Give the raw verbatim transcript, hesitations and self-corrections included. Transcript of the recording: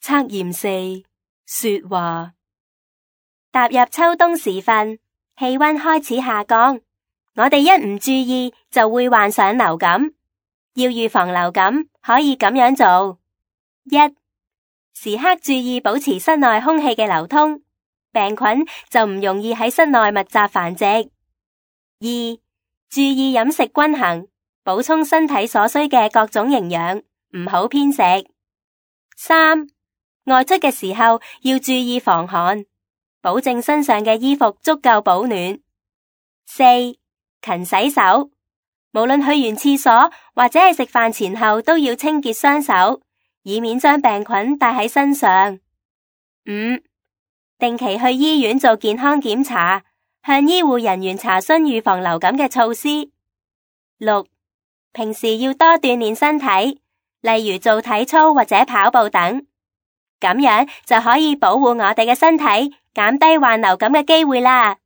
測驗四，說話。踏入秋冬時分，氣溫開始下降，我哋一唔注意就會患上流感。要預防流感，可以咁樣做：一、時刻注意保持室內空氣嘅流通，病菌就唔容易喺室內密集繁殖。二、注意飲食均衡，補充身體所需嘅各種營養，唔好偏食。三、外出嘅時候要注意防寒，保證身上嘅衣服足夠保暖。四、勤洗手，無論去完廁所或者係食飯前後都要清潔雙手，以免將病菌帶喺身上。五、定期去醫院做健康檢查，向醫護人員查詢預防流感嘅措施。六、平時要多鍛煉身體，例如做體操或者跑步等，咁樣就可以保護我哋嘅身體，減低患流感嘅機會啦。